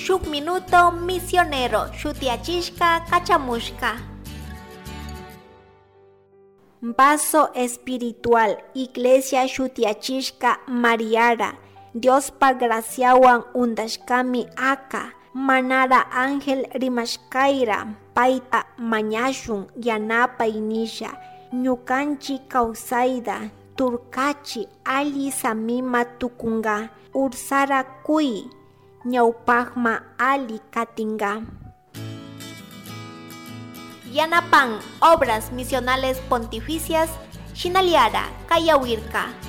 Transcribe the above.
Shuk Minuto Misionero shutiyachishka kachamushka. Vaso espiritual Iglesia shutiyachishka Mariara Diospa graciawan undashkami aka manara ángel rimashkayra payta mañashun yanapay nisha ñukanchik kawsayta turkachi alli samima tukunka ursara kuy ñawpakma alli katinka. Yanapan Obras Misionales Pontificias Shinaliara Kayawirka.